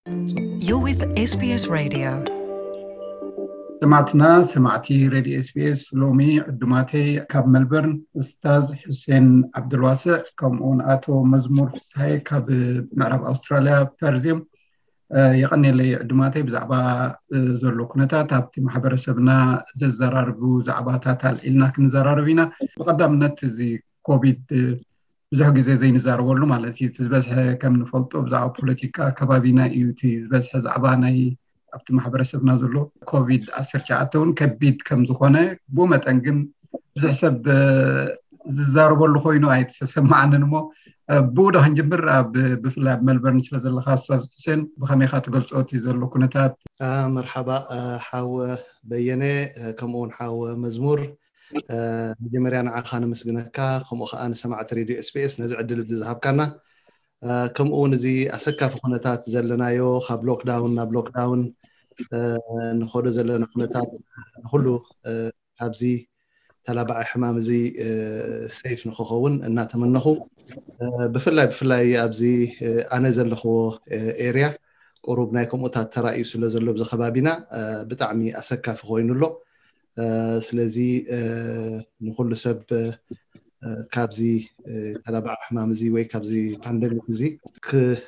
You're with S B S Radio. ሰማዕትና ሰማዕቲ ሬድዮ ኤስቢኤስ፣ ሎሚ ዕዱማተይ ካብ መልበርን እስታዝ ሑሴን ዓብዱልዋስዕ ከምኡውን ኣቶ መዝሙር ፍስሃየ ካብ ምዕራብ ኣውስትራልያ ፐርዝ እዮም። የቐኔለይ ዕዱማተይ ብዛዕባ ዘሎ ኩነታት ኣብቲ ማሕበረሰብና ዘዘራርቡ ዛዕባታት ኣልዒልና ክንዘራረብ ኢና። ብቐዳምነት እዚ ኮቪድ ብዙሕ ግዜ ዘይንዛረበሉ ማለት እዩ። እቲ ዝበዝሐ ከም ንፈልጦ ብዛዕባ ፖለቲካ ከባቢና እዩ። እቲ ዝበዝሐ ዛዕባ ናይ ኣብቲ ማሕበረሰብና ዘሎ ኮቪድ ዓሰርተ ትሽዓተ እውን ከቢድ ከም ዝኾነ፣ ብኡ መጠን ግን ብዙሕ ሰብ ዝዛረበሉ ኮይኑ ኣይተሰማዓንን። እሞ ብኡ ዶ ክንጅምር? ኣብ ብፍላይ ኣብ መልበርን ስለ ዘለካ ኣስታዝ ሕሴን፣ ብኸመይ ኢኻ ትገልጾ እቲ ዘሎ ኩነታት? መርሓባ ሓወ በየነ፣ ከምኡ እውን ሓወ መዝሙር። መጀመርያ ንዓኻ ነመስግነካ፣ ከምኡ ከዓ ንሰማዕቲ ሬድዮ ኤስቢኤስ ነዚ ዕድል እዚ ዝሃብካና። ከምኡ እውን እዚ ኣሰካፊ ኩነታት ዘለናዮ፣ ካብ ሎክዳውን ናብ ሎክዳውን ንኸዶ ዘለና ኩነታት፣ ንኩሉ ካብዚ ተላባዒ ሕማም እዚ ሰይፍ ንክኸውን እናተመነኹ፣ ብፍላይ ብፍላይ ኣብዚ ኣነ ዘለኽዎ ኤርያ ቁሩብ ናይ ከምኡታት ተራእዩ ስለ ዘሎ ብዚ ከባቢና ብጣዕሚ ኣሰካፊ ኮይኑ ኣሎ። ስለዚ ንኩሉ ሰብ ካብዚ ተላባዒ ሕማም እዚ ወይ ካብዚ ፓንደሚክ እዚ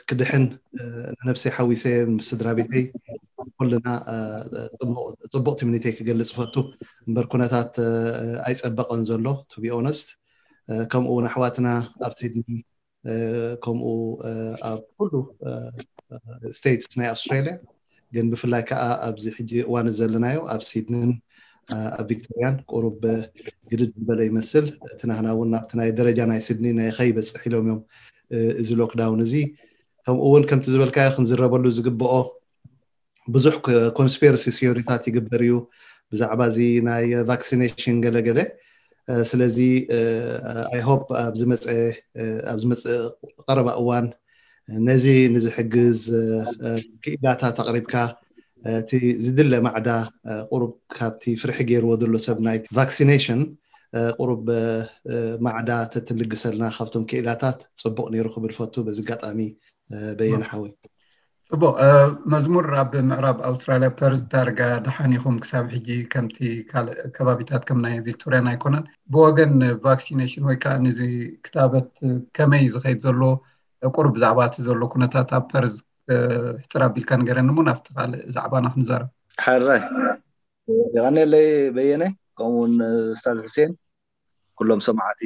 ክድሕን፣ ንነብሰይ ሓዊሰ ምስ ስድራ ቤተይ ኩልና ፅቡቕ ትምኒተይ ክገልፅ ፈቱ። እምበር ኩነታት ኣይፀበቐን ዘሎ፣ to be honest። ከምኡ እውን ኣሕዋትና ኣብ ሲድኒ፣ ከምኡ ኣብ ኩሉ ስቴትስ ናይ ኣውስትራሊያ፣ ግን ብፍላይ ከዓ ኣብዚ ሕጂ እዋን ዘለናዮ ኣብ ሲድንን ኣብ ቪክቶሪያን ቁሩብ ግድድ ዝበለ ይመስል። እቲ ናህና እውን ናብቲ ናይ ደረጃ ናይ ሲድኒ ናይ ከይበፅሕ ኢሎም እዮም እዚ ሎክዳውን እዚ። ከምኡ እውን ከምቲ ዝበልካዮ ክንዝረበሉ ዝግብኦ ብዙሕ ኮንስፒረሲ ቲዮሪታት ይግበር እዩ ብዛዕባ እዚ ናይ ቫክሲኔሽን ገለገለ። ስለዚ ኣይ ሆፕ ኣብ ዝመፀ ቀረባ እዋን ነዚ ንዝሕግዝ ክኢላታት ኣቕሪብካ እቲ ዝድለ ማዕዳ ቁሩብ ካብቲ ፍርሒ ገይርዎ ዘሎ ሰብ ናይ ቫክሲኔሽን ቁሩብ ማዕዳ ተትልግሰልና ካብቶም ክኢላታት ፅቡቕ ነይሩ ክብል ፈቱ። በዚ ኣጋጣሚ በየነ ሓወይ። ፅቡቕ። መዝሙር፣ ኣብ ምዕራብ ኣውስትራልያ ፐርዝ ዳርጋ ደሓን ኢኹም ክሳብ ሕጂ፣ ከምቲ ካልእ ከባቢታት ከም ናይ ቪክቶሪያን ኣይኮነን። ብወገን ቫክሲኔሽን ወይ ከዓ ነዚ ክታበት ከመይ ዝኸይድ ዘሎ፣ ቁሩብ ብዛዕባ እቲ ዘሎ ኩነታት ኣብ ፐርዝ ሕፅር ኣቢልካ ንገረኒ እሞ ናብቲ ካልእ ዛዕባና ክንዛረብ። ሕራይ፣ የቐኔለይ በየነ፣ ከምኡውን እስታዝ ሕሴን፣ ኩሎም ሰማዕቲ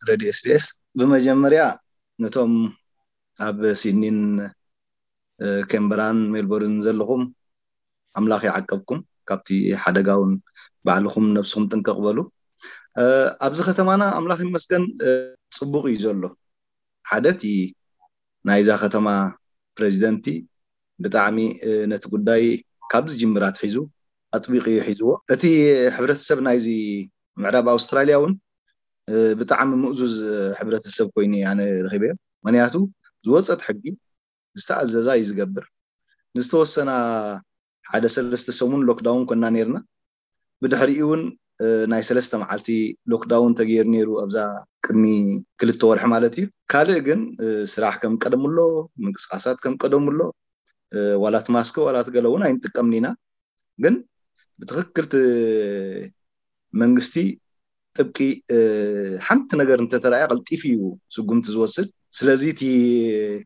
ሬድዮ ኤስቢኤስ። ብመጀመርያ ነቶም ኣብ ሲድኒን ኬምበራን ሜልቦርን ዘለኹም ኣምላኽ ይዓቀብኩም፣ ካብቲ ሓደጋ እውን ባዕልኹም ነብስኹም ጥንቅቕ በሉ። ኣብዚ ከተማና ኣምላኽ ይመስገን ፅቡቕ እዩ ዘሎ። ሓደ እቲ ናይዛ ከተማ ፕሬዚደንቲ ብጣዕሚ ነቲ ጉዳይ ካብ ዝጅምር ኣትሒዙ ኣጥቢቑ እዩ ሒዝዎ። እቲ ሕብረተሰብ ናይዚ ምዕራብ ኣውስትራልያ እውን ብጣዕሚ ምእዙዝ ሕብረተሰብ ኮይኑ ኣነ ረኺበዮ። ምክንያቱ ዝወፀት ሕጊ ዝተኣዘዛ እዩ ዝገብር። ንዝተወሰና ሓደ ሰለስተ ሰሙን ሎክዳውን ኮና ነርና። ብድሕሪኡ እውን ናይ ሰለስተ መዓልቲ ሎክዳውን ተገይሩ ነይሩ ኣብዛ ቅድሚ ክልተ ወርሒ ማለት እዩ። ካልእ ግን ስራሕ ከም ቀደሙ ኣሎ፣ ምንቅስቃሳት ከም ቀደሙ ኣሎ። ዋላ እቲ ማስክ ዋላ እቲ ገለ እውን ኣይንጥቀምን ኢና። ግን ብትክክል እቲ መንግስቲ ጥብቂ ሓንቲ ነገር እንተተረኣየ ቀልጢፉ እዩ ስጉምቲ ዝወስድ። ስለዚ እቲ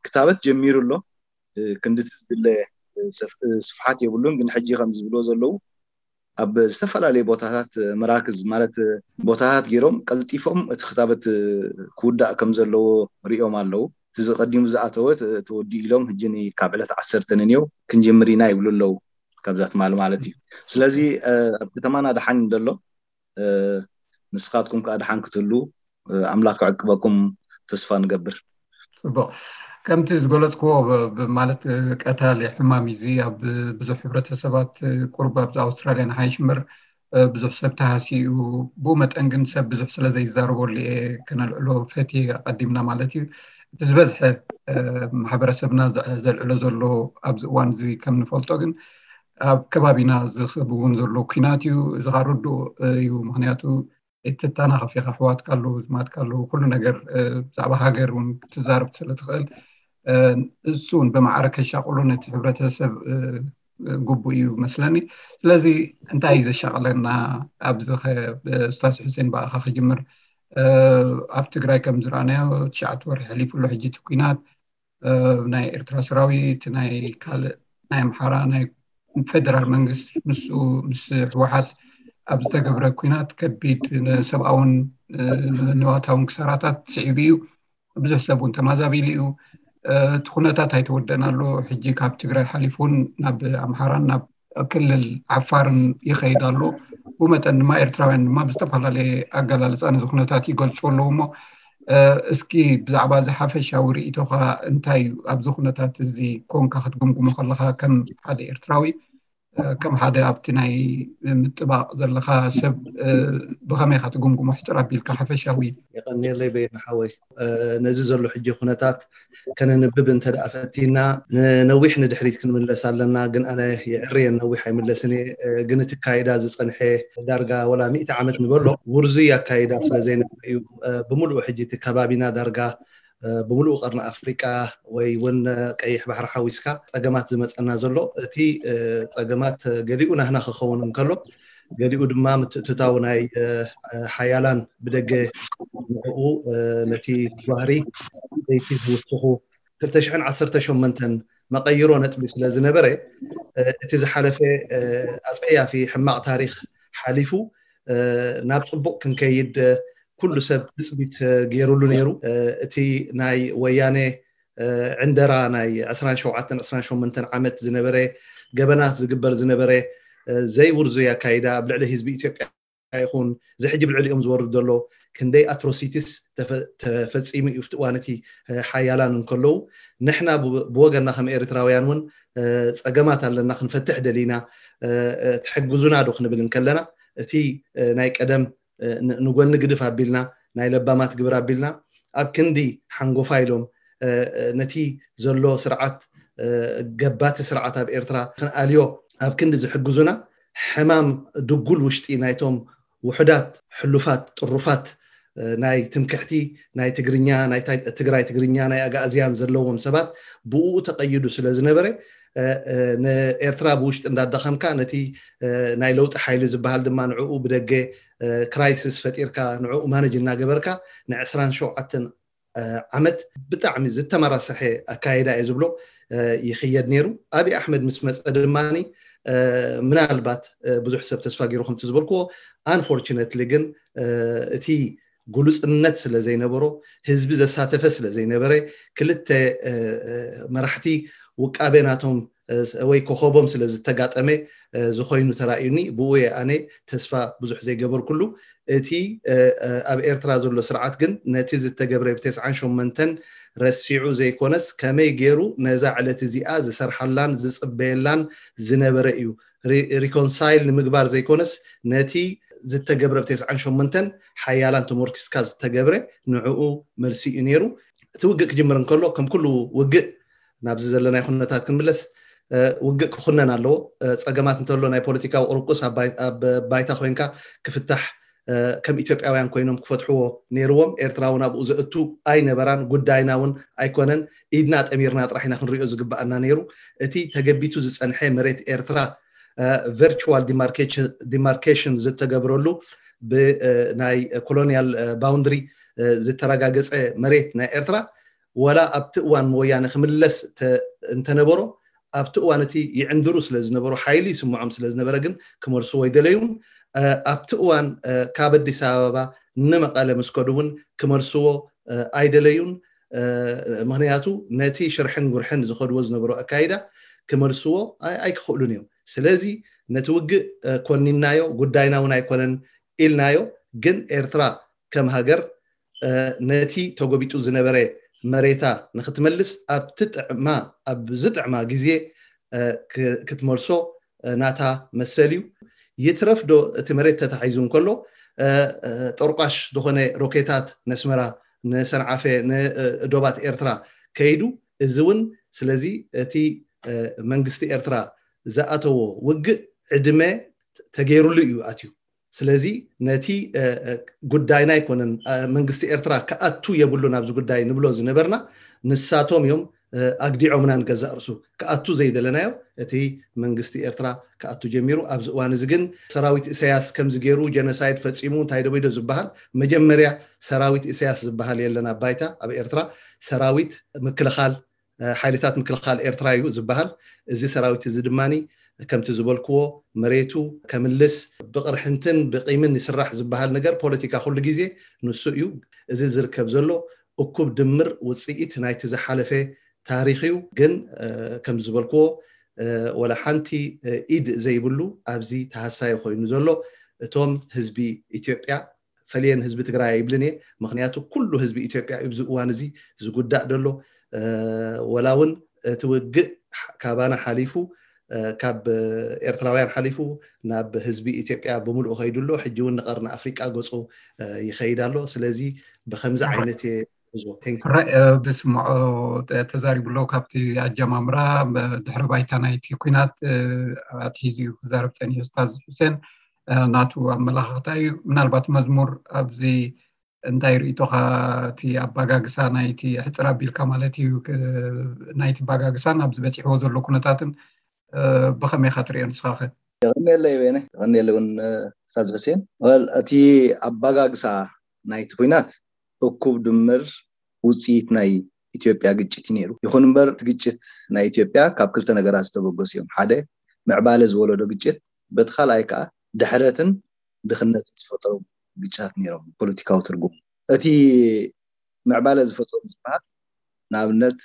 ክታበት ጀሚሩ ኣሎ። ክንዲ ዝድለ ስፍሓት የብሉን። ግን ሕጂ ከም ዝብልዎ ዘለዉ ኣብ ዝተፈላለዩ ቦታታት መራክዝ ማለት ቦታታት ገይሮም ቀልጢፎም እቲ ክታበት ክውዳእ ከም ዘለዎ ሪኦም ኣለዉ። እቲ ዝቀዲሙ ዝኣተወ ተወዲኡ ኢሎም ሕጂ ካብ ዕለት ዓሰርተ ንንየው ክንጅምር ኢና ይብሉ ኣለዉ። ካብዛ ትማሊ ማለት እዩ። ስለዚ ኣብ ከተማና ደሓን ደሎ፣ ንስኻትኩም ከዓ ደሓን ክትህሉ ኣምላኽ ክዕቅበኩም ተስፋ ንገብር። ፅቡቕ። ከምቲ ዝገለፅክዎ ማለት ቀታሊ ሕማም እዚ ኣብ ብዙሕ ሕብረተሰባት ቁርብ ኣብዚ ኣውስትራልያ ንሓይሽ እምበር ብዙሕ ሰብ ተሃሲኡ፣ ብኡ መጠን ግን ሰብ ብዙሕ ስለ ዘይዛረበሉ እየ ከነልዕሎ ፈትየ ኣቐዲምና ማለት እዩ። እቲ ዝበዝሐ ማሕበረሰብና ዘልዕሎ ዘሎ ኣብዚ እዋን እዚ ከም ንፈልጦ ግን ኣብ ከባቢና ዝኽብ እውን ዘሎ ኩናት እዩ። እዚ ከዓ ርዱእ እዩ። ምክንያቱ እትተናኸፍ ኢኻ፣ ኣሕዋትካ ኣለዉ፣ ዝማድካ ኣለዉ፣ ኩሉ ነገር ብዛዕባ ሃገር እውን ክትዛረብ ስለ ትኽእል እሱ እውን ብማዕረ ከሻቕሎ ነቲ ሕብረተሰብ ግቡእ እዩ መስለኒ። ስለዚ እንታይ እዩ ዘሻቕለና ኣብዚ ኡስታዝ ሕሴን ብኣኻ ክጅምር። ኣብ ትግራይ ከም ዝረኣናዮ ትሽዓተ ወርሒ ሕሊፉ ኣሎ ሕጂ እቲ ኩናት። ናይ ኤርትራ ሰራዊት ናይ ካልእ ናይ ኣምሓራ ናይ ፌደራል መንግስቲ ምስ ምስ ህወሓት ኣብ ዝተገብረ ኩናት ከቢድ ሰብኣውን ንዋታውን ክሳራታት ስዒቡ እዩ። ብዙሕ ሰብ እውን ተማዛቢሉ እዩ። እቲ ኩነታት ኣይተወደእን ኣሎ። ሕጂ ካብ ትግራይ ሓሊፉ እውን ናብ ኣምሓራን ናብ ክልል ዓፋርን ይኸይድ ኣሎ። ብመጠን ድማ ኤርትራውያን ድማ ብዝተፈላለየ ኣገላልፃ ነዚ ኩነታት ይገልፁ ኣለዉ። እሞ እስኪ ብዛዕባ እዚ ሓፈሻዊ ርእይቶኻ እንታይ እዩ? ኣብዚ ኩነታት እዚ ኮንካ ክትግምግሞ ከለኻ ከም ሓደ ኤርትራዊ ከም ሓደ ኣብቲ ናይ ምጥባቕ ዘለኻ ሰብ ብኸመይ ኢኻ ትግምግሞ? ሕፅር ኣቢልካ ሓፈሻዊ። የቐንየለይ በየነ ሓወይ። ነዚ ዘሎ ሕጂ ኩነታት ከነንብብ እንተ ደኣ ፈቲና ንነዊሕ ንድሕሪት ክንምለስ ኣለና። ግን ኣነ የዕርየን ነዊሕ ኣይምለስን እየ። ግን እቲ ኣካይዳ ዝጸንሐ ዳርጋ ወላ ሚእቲ ዓመት ንበሎ ውርዙይ ኣካይዳ ስለ ዘይነበረ እዩ። ብምሉኡ ሕጂ እቲ ከባቢና ዳርጋ ብምሉኡ ቀርኒ ኣፍሪቃ ወይ እውን ቀይሕ ባሕሪ ሓዊስካ ጸገማት ዝመጸና ዘሎ። እቲ ጸገማት ገሊኡ ናህና ክኸውን እንከሎ ገሊኡ ድማ ምትእትታው ናይ ሓያላን ብደገ ንዕኡ ነቲ ጓህሪ ለይቲ ዝውስኹ ክልተ ሽሕን ዓሰርተ ሸሞንተን መቐይሮ ነጥቢ ስለ ዝነበረ እቲ ዝሓለፈ ኣጸያፊ ሕማቕ ታሪኽ ሓሊፉ ናብ ጽቡቕ ክንከይድ ኩሉ ሰብ ትጽቢት ገይሩሉ ነይሩ። እቲ ናይ ወያነ ዕንደራ ናይ ዕስራን ሸውዓተን ዕስራን ሸሞንተን ዓመት ዝነበረ ገበናት ዝግበር ዝነበረ ዘይውርዙይ ኣካይዳ ኣብ ልዕሊ ህዝቢ ኢትዮጵያ ይኹን እዚ ሕጂ ብልዕሊኦም ዝወርድ ዘሎ ክንደይ ኣትሮሲቲስ ተፈ- ተፈጺሙ እዩ። ኣብቲ እዋን እቲ ሓያላን እንከለዉ ንሕና ብ- ብወገንና ከም ኤርትራውያን እውን ጸገማት ኣለና ክንፈትሕ ደሊና ትሕግዙና ዶ ክንብል እንከለና እቲ ናይ ቀደም ን- ንጎኒ ግድፍ ኣቢልና ናይ ለባማት ግብር ኣቢልና ኣብ ክንዲ ሓንጎፋ ኢሎም ነቲ ዘሎ ስርዓት ገባቲ ስርዓት ኣብ ኤርትራ ክንኣልዮ ኣብ ክንዲ ዝሕግዙና ሕማም ድጉል ውሽጢ ናይቶም ውሑዳት ሕሉፋት ጥሩፋት ናይ ትምክሕቲ ናይ ትግርኛ ናይ ትግራይ ትግርኛ ናይ ኣጋእዝያን ዘለዎም ሰባት ብኡ ተቐይዱ ስለ ዝነበረ ንኤርትራ ብውሽጢ እንዳዳኸምካ ነቲ ናይ ለውጢ ሓይሊ ዝበሃል ድማ ንዕኡ ብደገ ክራይሲስ ፈጢርካ ንዕኡ ማነጅ እናገበርካ ንዕስራን ሸውዓተን ዓመት ብጣዕሚ ዝተመራሰሐ ኣካይዳ እየ ዝብሎ ይኽየድ ነይሩ። ኣብይ ኣሕመድ ምስ መፀ ድማ ምናልባት ብዙሕ ሰብ ተስፋ ገይሩ ከምቲ ዝበልክዎ ኣንፎርችነትሊ ግን እቲ ግሉፅነት ስለ ዘይነበሮ ህዝቢ ዘሳተፈ ስለ ዘይነበረ ክልተ መራሕቲ ውቃቤ ናቶም ወይ ኮኸቦም ስለ ዝተጋጠመ ዝኾይኑ ተራእዩኒ። ብኡ እየ ኣነ ተስፋ ብዙሕ ዘይገበርኩሉ። እቲ ኣብ ኤርትራ ዘሎ ስርዓት ግን ነቲ ዝተገብረ ብ ተስዓን ሸሞንተን ረሲዑ ዘይኮነስ ከመይ ገይሩ ነዛ ዕለት እዚኣ ዝሰርሓላን ዝፅበየላን ዝነበረ እዩ። ሪኮንሳይል ንምግባር ዘይኮነስ ነቲ ዝተገብረ ብ ተስዓን ሸሞንተን ሓያላን ተሞርኪስካ ዝተገብረ ንዕኡ መልሲ እዩ ነይሩ። እቲ ውግእ ክጅምር እንከሎ ከም ኩሉ ውግእ ናብዚ ዘለናይ ኩነታት ክንምለስ ውግእ ክኹነን ኣለዎ። ፀገማት እንተሎ ናይ ፖለቲካዊ ቁርቁስ ኣብ ባይታ ኮይንካ ክፍታሕ ከም ኢትዮጵያውያን ኮይኖም ክፈትሕዎ ነይርዎም። ኤርትራ እውን ኣብኡ ዘእቱ ኣይነበራን፣ ጉዳይና እውን ኣይኮነን። ኢድና ጠሚርና ጥራሕ ኢና ክንሪኦ ዝግበኣና ነይሩ። እቲ ተገቢቱ ዝፀንሐ መሬት ኤርትራ ቨርቹዋል ዲማርኬሽን ዝተገብረሉ ብናይ ኮሎኒያል ባውንድሪ ዝተረጋገፀ መሬት ናይ ኤርትራ ወላ ኣብቲ እዋን መወያነ ክምለስ እንተነበሮ ኣብቲ እዋን እቲ ይዕንድሩ ስለ ዝነበሩ ሓይሊ ይስምዖም ስለ ዝነበረ ግን ክመልስዎ ኣይደለዩን። ኣብቲ እዋን ካብ ኣዲስ ኣበባ ንመቐለ ምስ ከዱ እውን ክመልስዎ ኣይደለዩን። ምክንያቱ ነቲ ሽርሕን ጉርሕን ዝኸድዎ ዝነበሩ ኣካይዳ ክመልስዎ ኣይክኽእሉን እዮም። ስለዚ ነቲ ውግእ ኮኒናዮ ጉዳይና እውን ኣይኮነን ኢልናዮ። ግን ኤርትራ ከም ሃገር ነቲ ተጎቢጡ ዝነበረ መሬታ ንክትመልስ ኣብ ትጥዕማ ኣብ ዝጥዕማ ግዜ ክትመልሶ ናታ መሰል እዩ። ይትረፍ ዶ እቲ መሬት ተታሒዙ እንከሎ ጠርቋሽ ዝኾነ ሮኬታት ነስመራ ንሰንዓፈ ንዶባት ኤርትራ ከይዱ እዚ እውን ስለዚ እቲ መንግስቲ ኤርትራ ዝኣተዎ ውግእ ዕድመ ተገይሩሉ እዩ ኣትዩ። ስለዚ ነቲ ጉዳይና ኣይኮነን መንግስቲ ኤርትራ ክኣቱ የብሉን ኣብዚ ጉዳይ ንብሎ ዝነበርና ንሳቶም እዮም ኣግዲዖምና ንገዛእ ርሱ ክኣቱ ዘይደለናዮ። እቲ መንግስቲ ኤርትራ ክኣቱ ጀሚሩ። ኣብዚ እዋን እዚ ግን ሰራዊት ኢሳያስ ከምዚ ገይሩ ጀኖሳይድ ፈጺሙ እንታይ ደቢዶ ዝበሃል መጀመርያ ሰራዊት ኢሳያስ ዝበሃል የለን ኣብ ባይታ። ኣብ ኤርትራ ሰራዊት ምክልኻል ሓይልታት ምክልኻል ኤርትራ እዩ ዝበሃል። እዚ ሰራዊት እዚ ድማ ከምቲ ዝበልክዎ መሬቱ ከምልስ ብቕርሕንትን ብቂምን ይስራሕ ዝበሃል ነገር ፖለቲካ ኩሉ ግዜ ንሱ እዩ። እዚ ዝርከብ ዘሎ እኩብ ድምር ውፅኢት ናይቲ ዝሓለፈ ታሪኽ እዩ። ግን ከም ዝበልክዎ ወላ ሓንቲ ኢድ ዘይብሉ ኣብዚ ተሃሳዩ ኮይኑ ዘሎ እቶም ህዝቢ ኢትዮጵያ ፈልየን ህዝቢ ትግራይ ኣይብልን እየ። ምክንያቱ ኩሉ ህዝቢ ኢትዮጵያ ኣብዚ እዋን እዚ ዝጉዳእ ደሎ ወላ እውን እቲ ውግእ ካባና ሓሊፉ ካብ ኤርትራውያን ሓሊፉ ናብ ህዝቢ ኢትዮጵያ ብምልኡ ከይዱ ኣሎ። ሕጂ እውን ንቀርኒ ኣፍሪቃ ገፁ ይኸይድ ኣሎ። ስለዚ ብከምዚ ዓይነት እየ ጉዞ። Thank you። ራይ ብስምዖ ተዛሪቡ ኣሎ። ካብቲ ኣጀማምራ ድሕሪ ባይታ ናይቲ ኩናት ኣትሒዙ እዩ ክዛረብ ፀኒሑ ኡስታዝ ሑሴን። ናቱ ኣመላኻኽታ እዩ። ምናልባት መዝሙር ኣብዚ እንታይ ርእይቶኻ፣ እቲ ኣባጋግሳ ናይቲ ሕፅር ኣቢልካ ማለት እዩ ናይቲ ኣባጋግሳን ኣብዚ በፂሕዎ ዘሎ ኩነታትን ብኸመይ ኢኻ ትሪኦ ንስኻ ኸ? የቐንየለይ ወይነ የቐንየለይ እውን ኡስታዝ ሑሴን። እቲ ኣባጋግሳ ናይቲ ኩናት እኩብ ድምር ውፅኢት ናይ ኢትዮጵያ ግጭት እዩ ነይሩ። ይኹን እምበር እቲ ግጭት ናይ ኢትዮጵያ ካብ ክልተ ነገራት ዝተበገሱ እዮም። ሓደ ምዕባለ ዝወለዶ ግጭት፣ በቲ ካልኣይ ከዓ ድሕረትን ድኽነትን ዝፈጠሩ ግጭታት ነይሮም። ፖለቲካዊ ትርጉም እቲ ምዕባለ ዝፈጠሩ ዝበሃል ንኣብነት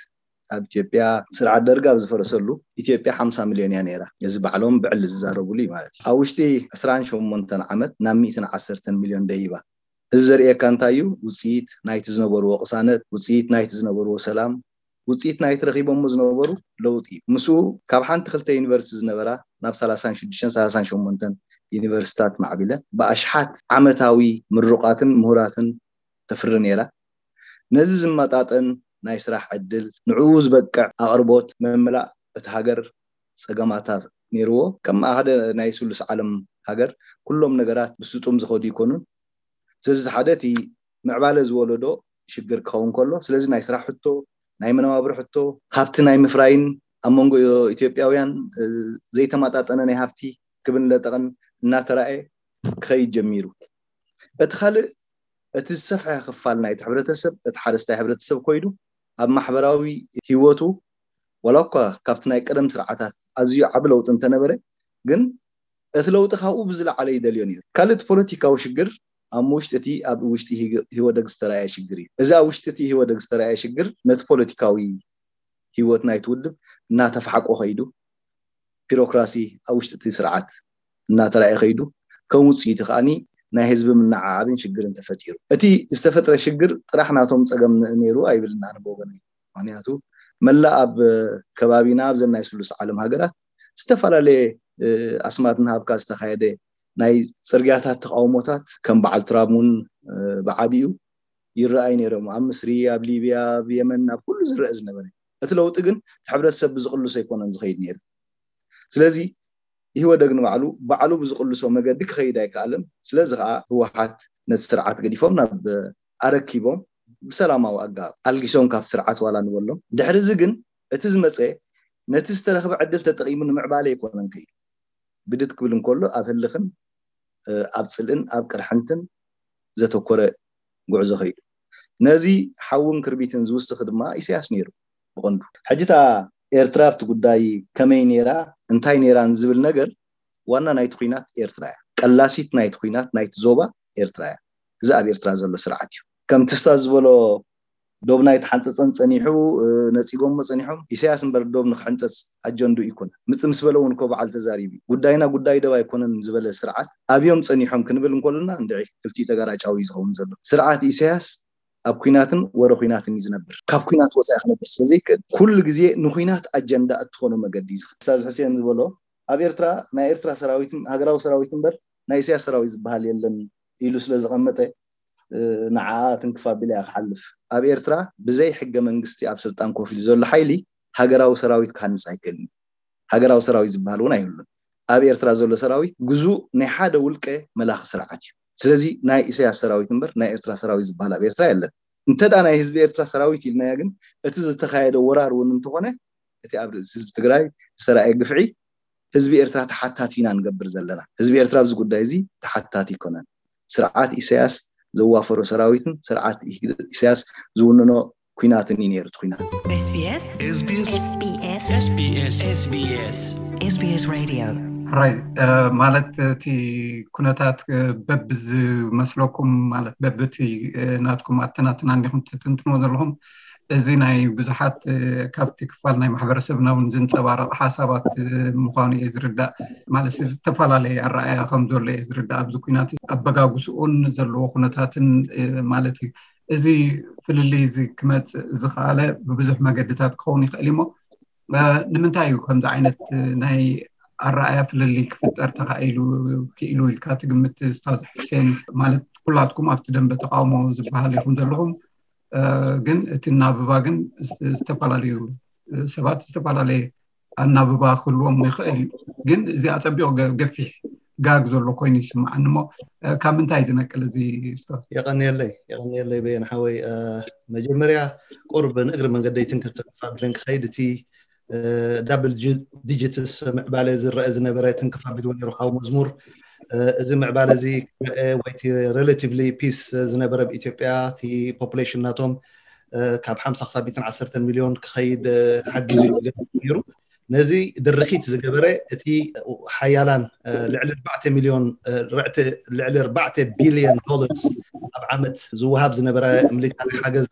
ኣብ ኢትዮጵያ ስርዓት ደርግ ኣብ ዝፈረሰሉ ኢትዮጵያ ሓምሳ ሚልዮን እያ ነይራ። እዚ ባዕሎም ብዕሊ ዝዛረቡሉ እዩ ማለት እዩ። ኣብ ውሽጢ ዕስራን ሸሞንተን ዓመት ናብ ሚእትን ዓሰርተን ሚልዮን ደይባ። እዚ ዘርእየካ እንታይ እዩ? ውፅኢት ናይቲ ዝነበርዎ ቅሳነት፣ ውፅኢት ናይቲ ዝነበርዎ ሰላም፣ ውፅኢት ናይቲ ረኺቦሞ ዝነበሩ ለውጢ እዩ። ምስኡ ካብ ሓንቲ ክልተ ዩኒቨርሲቲ ዝነበራ ናብ ሰላሳን ሽዱሽተን ሰላሳን ሸሞንተን ዩኒቨርሲታት ማዕቢለ ብኣሽሓት ዓመታዊ ምሩቓትን ምሁራትን ተፍሪ ነይራ። ነዚ ዝመጣጠን ናይ ስራሕ ዕድል፣ ንዕኡ ዝበቅዕ ኣቕርቦት መምላእ እቲ ሃገር ፀገማታ ነይርዎ። ከም ሓደ ናይ ስሉስ ዓለም ሃገር ኩሎም ነገራት ብስጡም ዝኸዱ ይኮኑን። ስለዚ ሓደ እቲ ምዕባለ ዝወለዶ ሽግር ክኸውን ከሎ፣ ስለዚ ናይ ስራሕ ሕቶ፣ ናይ መነባብሮ ሕቶ፣ ሃብቲ ናይ ምፍራይን ኣብ መንጎ ኢትዮጵያውያን ዘይተመጣጠነ ናይ ሃብቲ ክብን ለጠቕን እናተራእየ ክኸይድ ጀሚሩ። እቲ ካልእ እቲ ዝሰፍሐ ክፋል ናይቲ ሕብረተሰብ እቲ ሓረስታይ ሕብረተሰብ ኮይኑ ኣብ ማሕበራዊ ህይወቱ ዋላ እኳ ካብቲ ናይ ቀደም ስርዓታት ኣዝዩ ዓቢ ለውጢ እንተነበረ ግን እቲ ለውጢ ካብኡ ብዝለዓለ ይደልዮ ነይሩ። ካልእ እቲ ፖለቲካዊ ሽግር ኣብ ውሽጢ እቲ ኣብ ውሽጢ ህወደግ ዝተረኣየ ሽግር እዩ። እዚ ኣብ ውሽጢ እቲ ህወደግ ዝተረኣየ ሽግር ነቲ ፖለቲካዊ ህይወት ናይቲ ውድብ እናተፋሕቆ ከይዱ ቢሮክራሲ ኣብ ውሽጢ እቲ ስርዓት እናተራእየ ከይዱ ከም ውፅኢቱ ከዓኒ ናይ ህዝቢ ምንዓዓብን ሽግርን ተፈጢሩ። እቲ ዝተፈጥረ ሽግር ጥራሕ ናቶም ፀገም ነይሩ ኣይብልን ኣነ ብወገነይ። ምክንያቱ መላእ ኣብ ከባቢና ኣብዘን ናይ ስሉስ ዓለም ሃገራት ዝተፈላለየ ኣስማት እናሃብካ ዝተካየደ ናይ ፅርግያታት ተቃውሞታት ከም በዓል ትራም እውን ብዓቢኡ ይረኣይ ነይሮም። ኣብ ምስሪ፣ ኣብ ሊብያ፣ ኣብ የመን፣ ኣብ ኩሉ ዝረአ ዝነበረ እቲ ለውጢ ግን እቲ ሕብረተሰብ ብዝቅልሶ ኣይኮነን ዝኸይድ ነይሩ። ስለዚ ኢህወደግ ንባዕሉ ባዕሉ ብዝቅልሶ መገዲ ክኸይድ ኣይከኣለን። ስለዚ ከዓ ህወሓት ነቲ ስርዓት ገዲፎም ናብ ኣረኪቦም ብሰላማዊ ኣገባብ ኣልጊሶም ካብ ስርዓት ዋላ ንበሎም። ድሕሪ እዚ ግን እቲ ዝመፀ ነቲ ዝተረኽበ ዕድል ተጠቂሙ ንምዕባለ ኣይኮነን ከይዱ። ብድት ክብል እንከሎ ኣብ ህልኽን ኣብ ፅልእን ኣብ ቅርሕንትን ዘተኮረ ጉዕዞ ከይዱ። ነዚ ሓውን ክርቢትን ዝውስኽ ድማ ኢሳያስ ነይሩ ብቐንዱ። ሕጂ እታ ኤርትራ ኣብቲ ጉዳይ ከመይ ነይራ እንታይ ነይራን ዝብል ነገር ዋና ናይቲ ኲናት ኤርትራ እያ። ቀላሲት ናይቲ ኲናት ናይቲ ዞባ ኤርትራ እያ። እዚ ኣብ ኤርትራ ዘሎ ስርዓት እዩ። ከምቲ ስታዝ ዝበሎ ዶብ ናይ ተሓንፀፀን ፀኒሑ ነፂጎሞ ፀኒሖም ኢሳያስ እምበር ዶብ ንክሕንፀፅ ኣጀንዱ ይኮነ ምፅ ምስ በለ እውን እኮ በዓል ተዛሪቡ ጉዳይና ጉዳይ ዶብ ኣይኮነን ዝበለ ስርዓት ኣብዮም ፀኒሖም ክንብል እንኮልና እንድዒ ክልቲኡ ተጋራጫዊ እዩ ዝኸውን ዘሎ። ስርዓት ኢሳያስ ኣብ ኩናትን ወረ ኩናትን እዩ ዝነብር። ካብ ኩናት ወፃኢ ክነብር ስለዘይክእል ኩሉ ግዜ ንኩናት ኣጀንዳ እትኾኖ መገዲ እዩ ዝኽእል። ስታዝ ሕሴን ዝበሎ ኣብ ኤርትራ ናይ ኤርትራ ሰራዊት ሃገራዊ ሰራዊት እምበር ናይ ኢሳያስ ሰራዊት ዝበሃል የለን ኢሉ ስለ ዘቐመጠ ንዓኣ ትንክፍ ኣቢላ እያ ክሓልፍ። ኣብ ኤርትራ ብዘይ ሕገ መንግስቲ ኣብ ስልጣን ኮፍ ኢሉ ዘሎ ሓይሊ ሃገራዊ ሰራዊት ክሃንፅ ኣይክእልን። ሃገራዊ ሰራዊት ዝበሃል እውን ኣይህሉን። ኣብ ኤርትራ ዘሎ ሰራዊት ግዙእ ናይ ሓደ ውልቀ መላኺ ስርዓት እዩ። ስለዚ ናይ ኢሳያስ ሰራዊት እምበር ናይ ኤርትራ ሰራዊት ዝበሃል ኣብ ኤርትራ የለን። እንተ ደኣ ናይ ህዝቢ ኤርትራ ሰራዊት ኢልናዮ ግን፣ እቲ ዝተኻየደ ወራር እውን እንተኾነ፣ እቲ ኣብ ርእሲ ህዝቢ ትግራይ ዝተራእየ ግፍዒ ህዝቢ ኤርትራ ተሓታቲ ኢና ንገብር ዘለና። ህዝቢ ኤርትራ ኣብዚ ጉዳይ እዚ ተሓታቲ ኣይኮነን። ስርዓት ኢሳያስ ዘዋፈሮ ሰራዊትን ስርዓት ኢሳያስ ዝውንኖ ኩናትን እዩ ነይሩ እቲ ኩናት። SBS SBS SBS SBS SBS Radio ሕራይ ማለት እቲ ኩነታት በብዝመስለኩም ማለት በብቲ ናትኩም ኣተናትና እንዲኹም ትትንትንዎ ዘለኹም፣ እዚ ናይ ብዙሓት ካብቲ ክፋል ናይ ማሕበረሰብና እውን ዝንፀባረቕ ሓሳባት ምዃኑ እየ ዝርዳእ። ማለት ዝተፈላለየ ኣረኣያ ከም ዘሎ እየ ዝርዳእ ኣብዚ ኩናት ኣበጋግስኡን ዘለዎ ኩነታትን ማለት እዩ። እዚ ፍልልይ እዚ ክመፅእ ዝኸኣለ ብብዙሕ መገድታት ክኸውን ይኽእል እሞ ንምንታይ እዩ ከምዚ ዓይነት ናይ ኣረኣያ ፍልልይ ክፍጠር ተኻኢሉ ክኢሉ ኢልካ ትግምት? ስታዝ ሕሴን ማለት ኩላትኩም ኣብቲ ደንበ ተቃውሞ ዝበሃል ኢኹም ዘለኹም፣ ግን እቲ እናብባ ግን ዝተፈላለዩ ሰባት ዝተፈላለየ ኣናብባ ክህልዎም ይኽእል እዩ። ግን እዚ ኣፀቢቑ ገፊሕ ጋግ ዘሎ ኮይኑ ይስምዓኒ እሞ ካብ ምንታይ ዝነቅል እዚ ስታዝ? የቐንየለይ የቐንየለይ በየን ሓወይ። መጀመርያ ቁርብ ንእግሪ መንገደይ ትንክፍ ተፋቢለን ክኸይድ እቲ ዳብል ዲጂትስ ምዕባለ ዝረአ ዝነበረ ትንክፍ ኣቢልዎ ነይሩ ሓው መዝሙር። እዚ ምዕባለ እዚ ክረአ ወይቲ ሬላቲቭሊ ፒስ ዝነበረ ብኢትዮጵያ እቲ ፖፑሌሽን ናቶም ካብ ሓምሳ ክሳብ ሚእትን ዓሰርተን ሚልዮን ክኸይድ ሓጊዙ ነይሩ። ነዚ ድርኺት ዝገበረ እቲ ሓያላን ልዕሊ ኣርባዕተ ሚልዮን ልዕሊ ኣርባዕተ ቢልዮን ዶላርስ ኣብ ዓመት ዝወሃብ ዝነበረ ሚሊታሪ ሓገዝ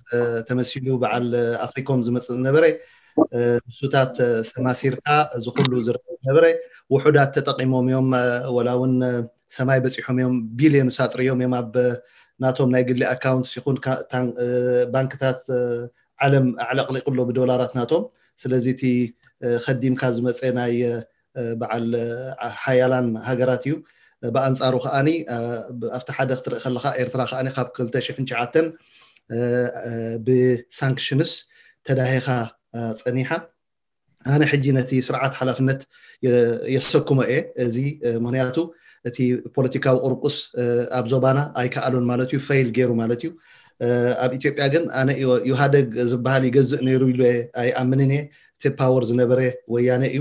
ተመሲሉ በዓል ኣፍሪኮም ዝመፅእ ዝነበረ ንሱታት ሰማሲርካ እዚ ኩሉ ዝረአ ዝነበረ ውሑዳት ተጠቂሞም እዮም። ወላ እውን ሰማይ በፂሖም እዮም። ቢልዮንስ ኣጥርዮም እዮም ኣብ ናቶም ናይ ግሊ ኣካውንትስ ይኹን ባንክታት ዓለም ኣዕለቕሊቑ ኣሎ ብዶላራት ናቶም። ስለዚ እቲ ከዲምካ ዝመፀ ናይ በዓል ሓያላን ሃገራት እዩ። ብኣንፃሩ ከዓኒ ኣብቲ ሓደ ክትርኢ ከለካ ኤርትራ ከዓኒ ካብ ክልተ ሽሕን ትሽዓተን ብሳንክሽንስ ተዳሂኻ ፀኒሓ። ኣነ ሕጂ ነቲ ስርዓት ሓላፍነት የሰክሞ እየ። እዚ ምክንያቱ እቲ ፖለቲካዊ ቁርቁስ ኣብ ዞባና ኣይከኣሎን ማለት እዩ፣ ፈይል ገይሩ ማለት እዩ። ኣብ ኢትዮጵያ ግን ኣነ ኢህኣደግ ዝበሃል ይገዝእ ነይሩ ኢሉ ኣይኣምንን እየ። እቲ ፓወር ዝነበረ ወያነ እዩ።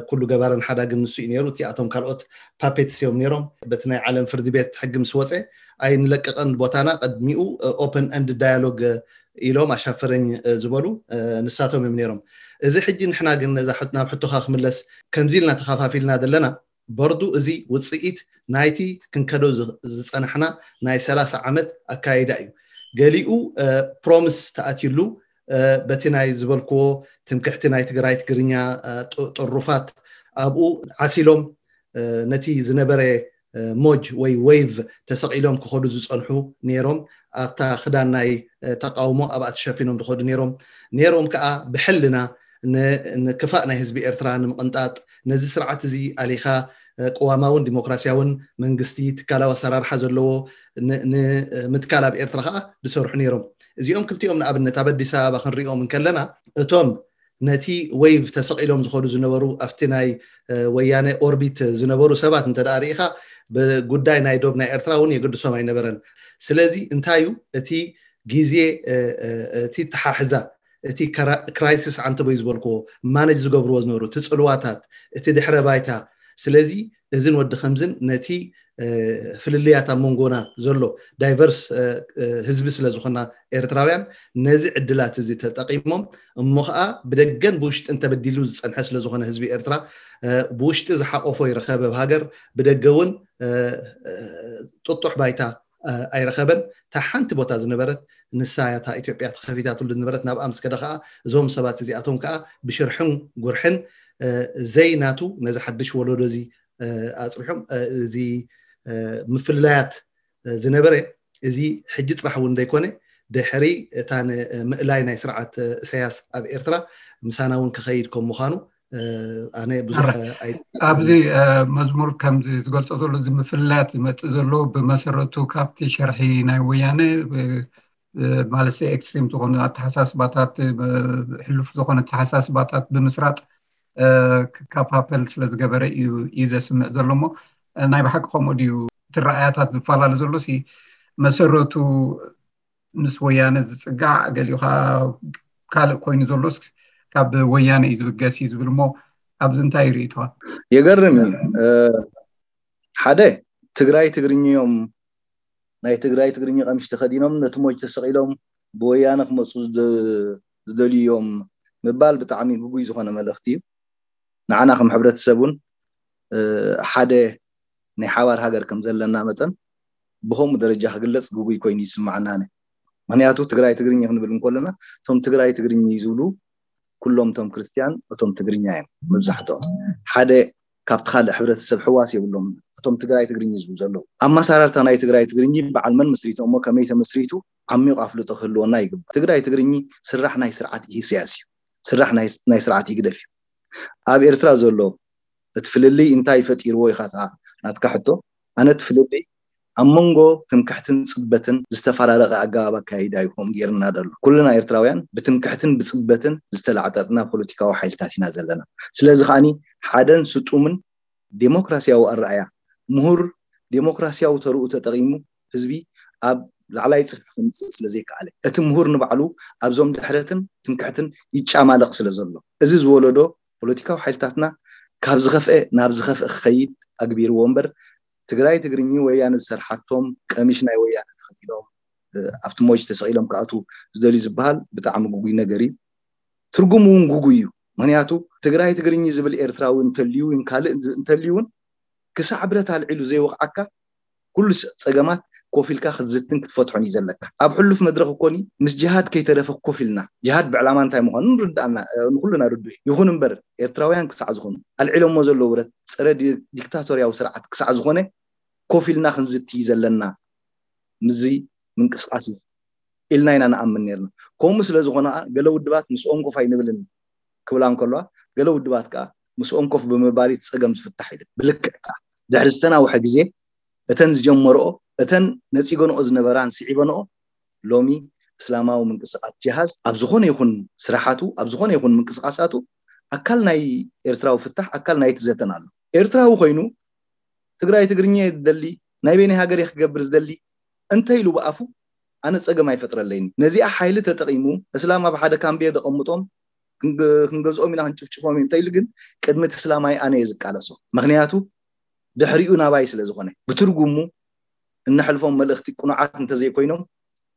ኩሉ ገባርን ሓዳግን ንሱ እዩ ነይሩ። እቲኣቶም ካልኦት ፓፔትስ እዮም ነይሮም። በቲ ናይ ዓለም ፍርዲ ቤት ሕጊ ምስ ወፀ ኣይንለቅቕን ቦታና፣ ቅድሚኡ ኦፕን ኤንድ ዳያሎግ ኢሎም ኣሻፈረኝ ዝበሉ ንሳቶም እዮም ነይሮም። እዚ ሕጂ ንሕና ግን ነዛ ናብ ሕቶኻ ክምለስ ከምዚ ኢልና ተኸፋፊልና ዘለና በርዱ እዚ ውፅኢት ናይቲ ክንከዶ ዝፀናሕና ናይ ሰላሳ ዓመት ኣካይዳ እዩ። ገሊኡ ፕሮምስ ተኣትዩሉ በቲ ናይ ዝበልክዎ ትምክሕቲ ናይ ትግራይ ትግርኛ ጥሩፋት ኣብኡ ዓሲሎም ነቲ ዝነበረ ሞጅ ወይ ዌይቭ ተሰቒሎም ክኸዱ ዝፀንሑ ነይሮም። ኣብታ ክዳን ናይ ተቃውሞ ኣብኣ ተሸፊኖም ዝኸዱ ነይሮም ነይሮም ከዓ ብሕልና ንክፋእ ናይ ህዝቢ ኤርትራ ንምቕንጣጥ ነዚ ስርዓት እዚ ኣሊኻ ቅዋማውን ዲሞክራሲያውን መንግስቲ ትካላዊ ኣሰራርሓ ዘለዎ ንምትካል ኣብ ኤርትራ ከዓ ዝሰርሑ ነይሮም። እዚኦም ክልቲኦም ንኣብነት ኣብ ኣዲስ ኣበባ ክንሪኦም እንከለና እቶም ነቲ ዌይቭ ተሰቒሎም ዝኸዱ ዝነበሩ ኣብቲ ናይ ወያነ ኦርቢት ዝነበሩ ሰባት እንተ ርኢኻ ብጉዳይ ናይ ዶብ ናይ ኤርትራ እውን የገድሶም ኣይነበረን። ስለዚ እንታይ እዩ እቲ ግዜ እቲ ተሓሕዛ እቲ ክራይሲስ ዓንተቦይ ዝበልክዎ ማነጅ ዝገብርዎ ዝነበሩ እቲ ፅልዋታት እቲ ድሕረ ባይታ። ስለዚ እዝን ወዲ ከምዝን ነቲ ፍልልያት ኣብ መንጎና ዘሎ ዳይቨርስ ህዝቢ ስለ ዝኾና ኤርትራውያን ነዚ ዕድላት እዚ ተጠቂሞም እሞ ከዓ ብደገን ብውሽጥን ተበዲሉ ዝፀንሐ ስለ ዝኾነ ህዝቢ ኤርትራ ብውሽጢ ዝሓቆፎ ይረኸበ ኣብ ሃገር ብደገ እውን ጥጡሕ ባይታ ኣይረኸበን። እታ ሓንቲ ቦታ ዝነበረት ንሳ እያ እታ ኢትዮጵያ ተኸፊታትሉ ዝነበረት። ናብኣ ምስ ከደ ከዓ እዞም ሰባት እዚኣቶም ከዓ ብሽርሕን ጉርሕን ዘይናቱ ነዚ ሓድሽ ወለዶ እዚ ኣፅቢሖም እዚ ምፍልላያት ዝነበረ እዚ ሕጂ ጥራሕ እውን ዘይኮነ ድሕሪ እታ ንምእላይ ናይ ስርዓት እሰያስ ኣብ ኤርትራ ምሳና እውን ክኸይድ ከም ምዃኑ ኣነ ብዙሕ ኣብዚ መዝሙር ከምዚ ዝገልፆ ዘሎ እዚ ምፍልላያት ዝመፅእ ዘሎ ብመሰረቱ ካብቲ ሸርሒ ናይ ወያነ ማለት ኤክስትሪም ዝኾኑ ኣተሓሳስባታት ሕሉፍ ዝኾነ ኣተሓሳስባታት ብምስራጥ ክከፋፈል ስለ ዝገበረ እዩ እዩ ዘስምዕ ዘሎ እሞ ናይ ብሓቂ ከምኡ ድዩ? እቲ ረኣያታት ዝፈላለ ዘሎ ሲ መሰረቱ ምስ ወያነ ዝፅጋዕ፣ ገሊኡ ከዓ ካልእ ኮይኑ ዘሎስ ካብ ወያነ እዩ ዝብገስ እዩ ዝብል እሞ፣ ኣብዚ እንታይ ርእይቶኻ? የገርም እዩ። ሓደ፣ ትግራይ ትግርኛ እዮም፣ ናይ ትግራይ ትግርኛ ቀምሽ ተኸዲኖም ነቲ ሞጅ ተሰቒሎም ብወያነ ክመፁ ዝደልዩ እዮም ምባል ብጣዕሚ ግጉይ ዝኾነ መልእኽቲ እዩ። ንዓና ከም ሕብረተሰብ እውን ሓደ ናይ ሓባር ሃገር ከም ዘለና መጠን ብከምኡ ደረጃ ክግለፅ ግጉይ ኮይኑ ይስማዓና። ምክንያቱ ትግራይ ትግርኛ ክንብል እንከለና እቶም ትግራይ ትግርኛ ዝብሉ ኩሎም እቶም ክርስትያን እቶም ትግርኛ እዮም መብዛሕትኦም። ሓደ ካብቲ ካልእ ሕብረተሰብ ሕዋስ የብሎም። እቶም ትግራይ ትግርኛ ዝብሉ ዘለዉ ኣመሰራርታ ናይ ትግራይ ትግርኛ በዓል መን መስሪቶ እሞ ከመይ ተመስሪቱ ዓሚቑ ኣፍልጦ ክህልወና ይግባእ። ትግራይ ትግርኛ ስራሕ ናይ ስርዓት ኢሳያስ እዩ። ስራሕ ናይ ስርዓት ይግደፍ እዩ። ኣብ ኤርትራ ዘሎ እቲ ፍልልይ እንታይ ፈጢርዎ ኢኻ ናትካ ሕቶ? ኣነ እቲ ፍልልይ ኣብ መንጎ ትምክሕትን ፅበትን ዝተፈራረቀ ኣገባብ ኣካይዳ ይኹም ጌርና ዘሎ። ኩልና ኤርትራውያን ብትምክሕትን ብፅበትን ዝተላዕጠጥና ፖለቲካዊ ሓይልታት ኢና ዘለና። ስለዚ ከዓኒ ሓደን ስጡምን ዴሞክራሲያዊ ኣረኣያ ምሁር ዴሞክራሲያዊ ተርኡ ተጠቂሙ ህዝቢ ኣብ ላዕላይ ፅፍሒ ከምፅእ ስለዘይከኣለ እቲ ምሁር ንባዕሉ ኣብዞም ድሕረትን ትምክሕትን ይጫማለቕ ስለ ዘሎ እዚ ዝወለዶ ፖለቲካዊ ሓይልታትና ካብ ዝኸፍአ ናብ ዝኸፍአ ክኸይድ ኣግቢርዎ እምበር ትግራይ ትግርኝ ወያነ ዝሰርሓቶም ቀሚሽ ናይ ወያነ ተኸዲኖም ኣብቲ ሞጅ ተሰቒሎም ክኣትዉ ዝደልዩ ዝበሃል ብጣዕሚ ግጉይ ነገር እዩ። ትርጉሙ እውን ግጉይ እዩ። ምክንያቱ ትግራይ ትግርኝ ዝብል ኤርትራዊ እንተልዩ እውን ካልእ እንተልዩ እውን ክሳዕ ብረት ኣልዒሉ ዘይወቕዓካ ኩሉ ፀገማት ኮፍ ኢልካ ክትዝትን ክትፈትሖን እዩ ዘለካ። ኣብ ሕሉፍ መድረክ እኮኒ ምስ ጅሃድ ከይተረፈ ኮፍ ኢልና ጅሃድ ብዕላማ እንታይ ምኳኑ ንርዳእና ንኩልና ርዱእ። ይኹን እምበር ኤርትራውያን ክሳዕ ዝኾኑ ኣልዒሎሞ ዘለዉ ብረት ፀረ ዲክታቶርያዊ ስርዓት ክሳዕ ዝኾነ ኮፍ ኢልና ክንዝቲ እዩ ዘለና። ምዚ ምንቅስቃስ ኢልና ኢና ንኣምን ነርና። ከምኡ ስለ ዝኾነ ገለ ውድባት ምስኦም ኮፍ ኣይንብልን ክብላ እንከለዋ ገለ ውድባት ከዓ ምስኦም ኮፍ ብምባል እቲ ፀገም ዝፍታሕ ኢለን። ብልክዕ ከዓ ድሕሪ ዝተናውሐ ግዜ እተን ዝጀመርኦ እተን ነፂገንኦ ዝነበራን ስዒበንኦ ሎሚ እስላማዊ ምንቅስቃስ ጅሃዝ ኣብ ዝኾነ ይኹን ስራሓቱ ኣብ ዝኾነ ይኹን ምንቅስቃሳቱ ኣካል ናይ ኤርትራዊ ፍታሕ ኣካል ናይቲ ዘተን ኣሎ። ኤርትራዊ ኮይኑ ትግራይ ትግርኛ ዝደሊ ናይ በይነይ ሃገር ክገብር ዝደሊ እንተ ኢሉ ብኣፉ ኣነ ፀገም ኣይፈጥረለይን። ነዚኣ ሓይሊ ተጠቂሙ እስላም ኣብ ሓደ ካምቤ ዘቐምጦም ክንገዝኦም ኢና ክንጭፍጭፎም እዩ እንተ ኢሉ ግን ቅድሚ እቲ እስላማይ ኣነ እየ ዝቃለሶ። ምክንያቱ ድሕሪኡ ናባይ ስለ ዝኾነ ብትርጉሙ እነሕልፎም መልእኽቲ ቅኑዓት እንተዘይኮይኖም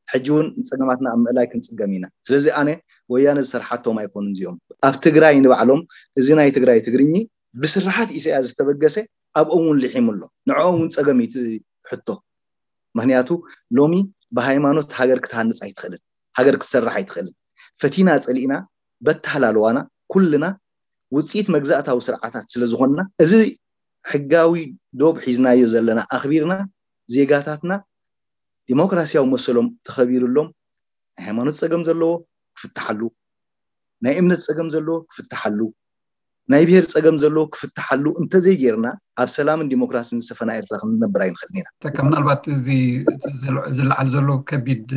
ሕጂ እውን ንፀገማትና ኣብ ምእላይ ክንፅገም ኢና። ስለዚ ኣነ ወያነ ዝሰርሓቶም ኣይኮኑን እዚኦም። ኣብ ትግራይ ንባዕሎም እዚ ናይ ትግራይ ትግርኝ ብስርሓት ኢሳያስ ዝተበገሰ ኣብኦም እውን ልሒሙ ኣሎ። ንዕኦም እውን ፀገም እዩ እቲ ሕቶ። ምክንያቱ ሎሚ ብሃይማኖት ሃገር ክትሃንፅ ኣይትኽእልን፣ ሃገር ክትሰርሕ ኣይትኽእልን። ፈቲና ፀሊእና በተሃላለዋና ኩልና ውፅኢት መግዛእታዊ ስርዓታት ስለ ዝኾንና እዚ ሕጋዊ ዶብ ሒዝናዮ ዘለና ኣኽቢርና ዜጋታትና ዲሞክራሲያዊ መሰሎም ተኸቢሩሎም ናይ ሃይማኖት ፀገም ዘለዎ ክፍትሓሉ፣ ናይ እምነት ፀገም ዘለዎ ክፍትሓሉ፣ ናይ ብሄር ፀገም ዘለዎ ክፍትሓሉ እንተዘይጌርና ኣብ ሰላምን ዲሞክራሲን ዝሰፈና ኤርትራ ክንነብር ኣይንኽእልን ኢና። ተካ ምናልባት እዚ ዝለዓል ዘሎ ከቢድ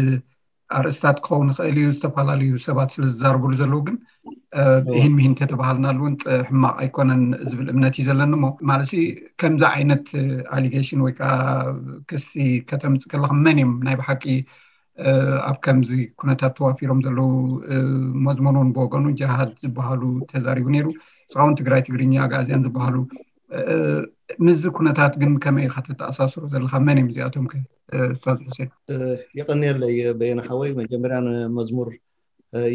ኣርእስታት ክኸውን ይኽእል እዩ። ዝተፈላለዩ ሰባት ስለ ዝዛረብሉ ዘለዉ ግን ይህን ምሂን ተተባሃልናሉ እውን ሕማቕ ኣይኮነን ዝብል እምነት እዩ ዘለኒ። እሞ ማለት ከምዚ ዓይነት ኣሊጌሽን ወይ ከዓ ክሲ ከተምፅ ከለካ መን እዮም ናይ ብሓቂ ኣብ ከምዚ ኩነታት ተዋፊሮም ዘለዉ? መዝሙር እውን ብወገኑ ጅሃድ ዝበሃሉ ተዛሪቡ ነይሩ። እስኻ እውን ትግራይ ትግርኛ ኣግኣዝያን ዝበሃሉ ምስዚ ኩነታት ግን ከመይ ኢኻ ተተኣሳስሮ ዘለካ? መን እዮም እዚኣቶም ከ ኡስታዝ ሑሴን? የቐንየለይ በየነ ሓወይ፣ መጀመርያ ንመዝሙር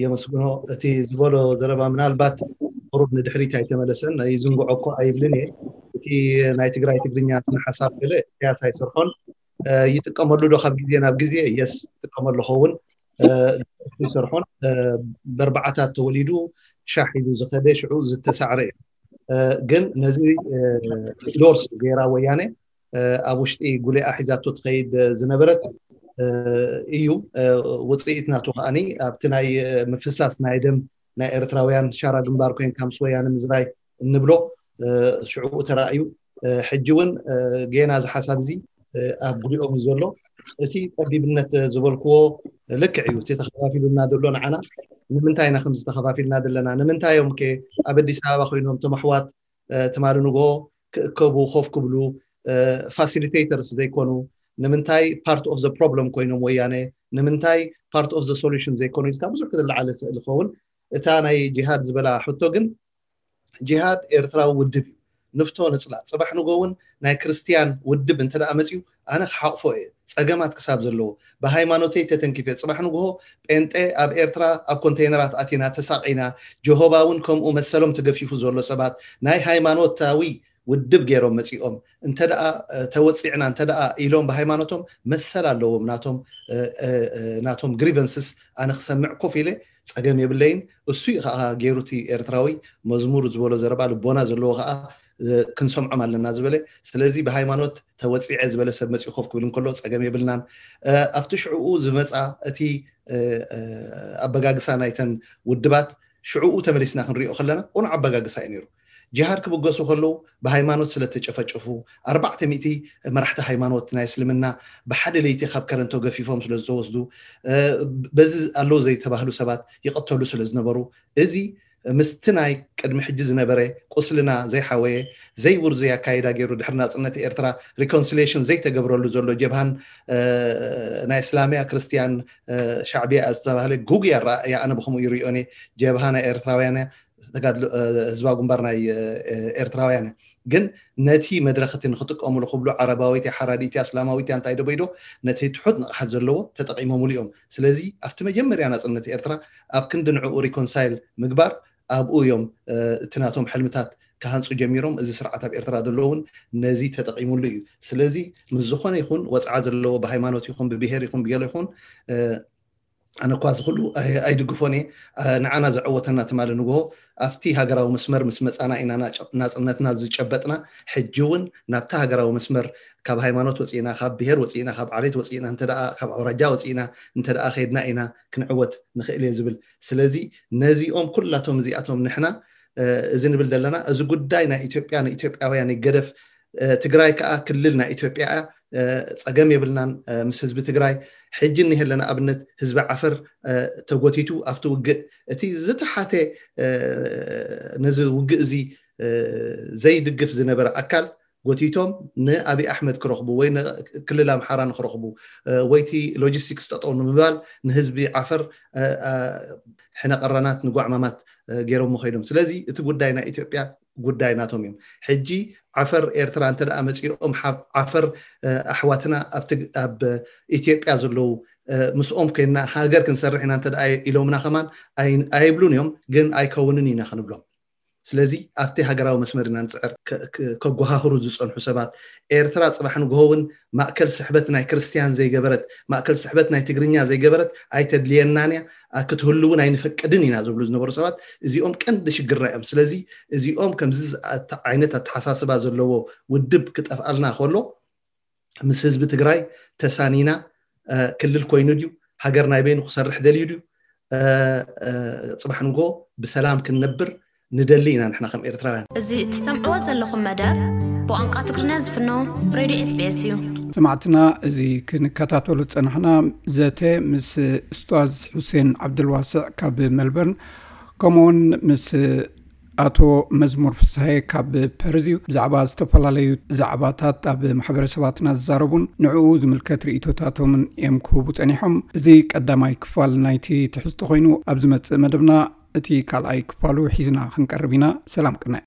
የመስግኖ። እቲ ዝበሎ ዘረባ ምናልባት ቁሩብ ንድሕሪት ኣይተመለሰን፣ ይዝንግዖ እኮ ኣይብልን እየ። እቲ ናይ ትግራይ ትግርኛ ስነ ሓሳብ ገለ ኢሳያስ ኣይሰርሖን፣ ይጥቀመሉ ዶ ካብ ግዜ ናብ ግዜ? የስ ይጥቀመሉ ኸውን፣ ይሰርሖን። በርባዓታት ተወሊዱ ሻሕ ኢሉ ዝኸደ ሽዑ ዝተሳዕረ እዩ። ግን ነዚ ኢንዶርስ ገይራ ወያነ ኣብ ውሽጢ ጉሌኣ ሒዛቶ ትኸይድ ዝነበረት እዩ። ውፅኢት ናቱ ከዓኒ ኣብቲ ናይ ምፍሳስ ናይ ደም ናይ ኤርትራውያን ሻራ ግንባር ኮይንካ ምስ ወያነ ምዝራይ እንብሎ ሽዑ ተራእዩ። ሕጂ እውን ጌና እዚ ሓሳብ እዚ ኣብ ጉሊኦም እዩ ዘሎ። እቲ ፀቢብነት ዝበልክዎ ልክዕ እዩ። እቲ ተኸፋፊሉና ዘሎ ንዓና ንምንታይ ኢና ከምዚ ተኸፋፊልና ዘለና? ንምንታይ እዮም ከ ኣብ ኣዲስ ኣበባ ኮይኖም እቶም ኣሕዋት ትማሊ ንግሆ ክእከቡ ኮፍ ክብሉ ፋሲሊቴተርስ ዘይኮኑ? ንምንታይ ፓርት ኦፍ ዘ ፕሮብለም ኮይኖም ወያነ ንምንታይ part of the solution ዘይኮኑ ኢልካ ብዙሕ ክትለዓል ይኽእል ይኸውን። እታ ናይ ጂሃድ ዝበላ ሕቶ ግን ጂሃድ ኤርትራዊ ውድብ እዩ። ንፍቶ ንፅላእ። ፅባሕ ንጎ እውን ናይ ክርስትያን ውድብ እንተ ደኣ መፅዩ ኣነ ክሓቕፎ እየ። ፀገማት ክሳብ ዘለዎ ብሃይማኖተይ ተተንኪፈ ፅባሕ ንግሆ ጴንጤ ኣብ ኤርትራ ኣብ ኮንቴይነራት ኣቲና ተሳቒና፣ ጀሆባ እውን ከምኡ መሰሎም ተገፊፉ ዘሎ ሰባት ናይ ሃይማኖታዊ ውድብ ገይሮም መፂኦም እንተ ደኣ ተወፂዕና እንተ ደኣ ኢሎም ብሃይማኖቶም መሰል ኣለዎም ናቶም ናቶም grievances ኣነ ክሰምዕ ኮፍ ኢለ ፀገም የብለይን። እሱ እዩ ከዓ ገይሩ እቲ ኤርትራዊ መዝሙር ዝበሎ ዘረባ ልቦና ዘለዎ ከዓ ክንሰምዖም ኣለና ዝበለ። ስለዚ ብሃይማኖት ተወፂዐ ዝበለ ሰብ መፂኡ ኮፍ ክብል እንከሎ ፀገም የብልናን። ኣብቲ ሽዕኡ ዝመፃ እቲ ኣበጋግሳ ናይተን ውድባት ሽዕኡ ተመሊስና ክንሪኦ ከለና ቁኑዕ ኣበጋግሳ እዩ ነይሩ። ጅሃድ ክብገሱ ከለዉ ብሃይማኖት ስለተጨፈጨፉ ኣርባዕተ ሚእቲ መራሕቲ ሃይማኖት ናይ እስልምና ብሓደ ለይቲ ካብ ከረንቶ ገፊፎም ስለዝተወስዱ በዚ ኣለዉ ዘይተባህሉ ሰባት ይቐተሉ ስለዝነበሩ እዚ ምስቲ ናይ ቅድሚ ሕጂ ዝነበረ ቁስልና ዘይሓወየ ዘይውርዙይ ኣካይዳ ገይሩ ድሕሪ ናፅነት ኤርትራ reconciliation ዘይተገብረሉ ዘሎ ጀብሃን ናይ እስላምያ ክርስትያን ሻዕብያ ዝተባህለ ጉጉይ ኣረኣእያ ኣነ ብከምኡ ይሪኦን እየ። ጀብሃ ናይ ኤርትራውያን እያ፣ ተጋድሎ ህዝባዊ ግንባር ናይ ኤርትራውያን እያ። ግን ነቲ መድረኽ እቲ ንክጥቀምሉ ክብሉ ዓረባዊት እያ፣ ሓራዲት እያ፣ እስላማዊት እያ እንታይ ደቦይዶ ነቲ ትሑት ንቕሓት ዘለዎ ተጠቒሞምሉ እዮም። ስለዚ ኣብቲ መጀመርያ ናፅነት ኤርትራ ኣብ ክንዲ ንዕኡ reconcile ምግባር ኣብኡ እዮም እቲ ናቶም ሕልምታት ክሃንፁ ጀሚሮም። እዚ ስርዓት ኣብ ኤርትራ ዘሎ እውን ነዚ ተጠቒሙሉ እዩ። ስለዚ ምስ ዝኾነ ይኹን ወፅዓ ዘለዎ ብሃይማኖት ይኹን ብብሄር ይኹን ብገለ ይኹን ኣነ እኳ እዚ ኩሉ ኣይድግፎን እየ። ንዓና ዘዐወተና ትማሊ ንግሆ ኣብቲ ሃገራዊ መስመር ምስ መፃና ኢና ናፅነትና ዝጨበጥና። ሕጂ እውን ናብቲ ሃገራዊ መስመር ካብ ሃይማኖት ወፂእና፣ ካብ ብሄር ወፂእና፣ ካብ ዓሌት ወፂእና፣ እንተ ካብ ኣውራጃ ወፂእና እንተ ከይድና ኢና ክንዕወት ንኽእል እየ ዝብል። ስለዚ ነዚኦም ኩላቶም እዚኣቶም ንሕና እዚ ንብል ዘለና እዚ ጉዳይ ናይ ኢትዮጵያ ንኢትዮጵያውያን ይገደፍ። ትግራይ ከዓ ክልል ናይ ኢትዮጵያ እያ። ፀገም የብልናን ምስ ህዝቢ ትግራይ። ሕጂ እኒሀ ኣለና ኣብነት ህዝቢ ዓፈር ተጎቲቱ ኣብቲ ውግእ እቲ ዝተሓተ ነዚ ውግእ እዚ ዘይድግፍ ዝነበረ ኣካል ጎቲቶም ንኣብይ ኣሕመድ ክረኽቡ ወይ ክልል ኣምሓራ ንክረኽቡ ወይ ቲ logistics ጠጠው ንምባል ንህዝቢ ዓፈር ሕነ ቀረናት ንጓዕማማት ገይሮም ከይዶም። ስለዚ እቲ ጉዳይ ናይ ኢትዮጵያ ጉዳይ ናቶም እዮም። ሕጂ ዓፈር ኤርትራ እንተ ደኣ መፂኦም ዓፈር ኣሕዋትና ኣብ ኢትዮጵያ ዘለዉ ምስኦም ኮይና ሃገር ክንሰርሕ ኢና እንተ ኢሎምና ከማን ኣይብሉን እዮም። ግን ኣይከውንን ኢና ክንብሎም። ስለዚ ኣብቲ ሃገራዊ መስመር ኢና ንፅዕር። ከጓሃህሩ ዝፀንሑ ሰባት ኤርትራ ፅባሕ ንግሆ እውን ማእከል ስሕበት ናይ ክርስትያን ዘይገበረት ማእከል ስሕበት ናይ ትግርኛ ዘይገበረት ኣይተድልየናን እያ ክትህሉ እውን ኣይንፈቅድን ኢና ዝብሉ ዝነበሩ ሰባት እዚኦም ቀንዲ ሽግርና እዮም። ስለዚ እዚኦም ከምዚ ዓይነት ኣተሓሳስባ ዘለዎ ውድብ ክጠፍኣልና ከሎ ምስ ህዝቢ ትግራይ ተሳኒና ክልል ኮይኑ ድዩ ሃገር ናይ በይኑ ክሰርሕ ደልዩ ድዩ ፅባሕ ንጎ ብሰላም ክንነብር ንደሊ ኢና ንሕና ከም ኤርትራውያን። እዚ እትሰምዕዎ ዘለኹም መደብ ብቋንቋ ትግርኛ ዝፍኖ ሬድዮ ኤስቢኤስ እዩ። ሰማዕትና፣ እዚ ክንከታተሉ ዝጸናሕና ዘተ ምስ ኡስታዝ ሑሴን ዓብደልዋስዕ ካብ መልበርን ከምኡውን ምስ ኣቶ መዝሙር ፍስሃየ ካብ ፐርዝ እዩ። ብዛዕባ ዝተፈላለዩ ዛዕባታት ኣብ ማሕበረሰባትና ዝዛረቡን ንዕኡ ዝምልከት ርእይቶታቶምን እዮም ክህቡ ጸኒሖም። እዚ ቀዳማይ ክፋል ናይቲ ትሕዝቶ ኮይኑ፣ ኣብ ዝመጽእ መደብና እቲ ካልኣይ ክፋሉ ሒዝና ክንቀርብ ኢና። ሰላም ቅነ።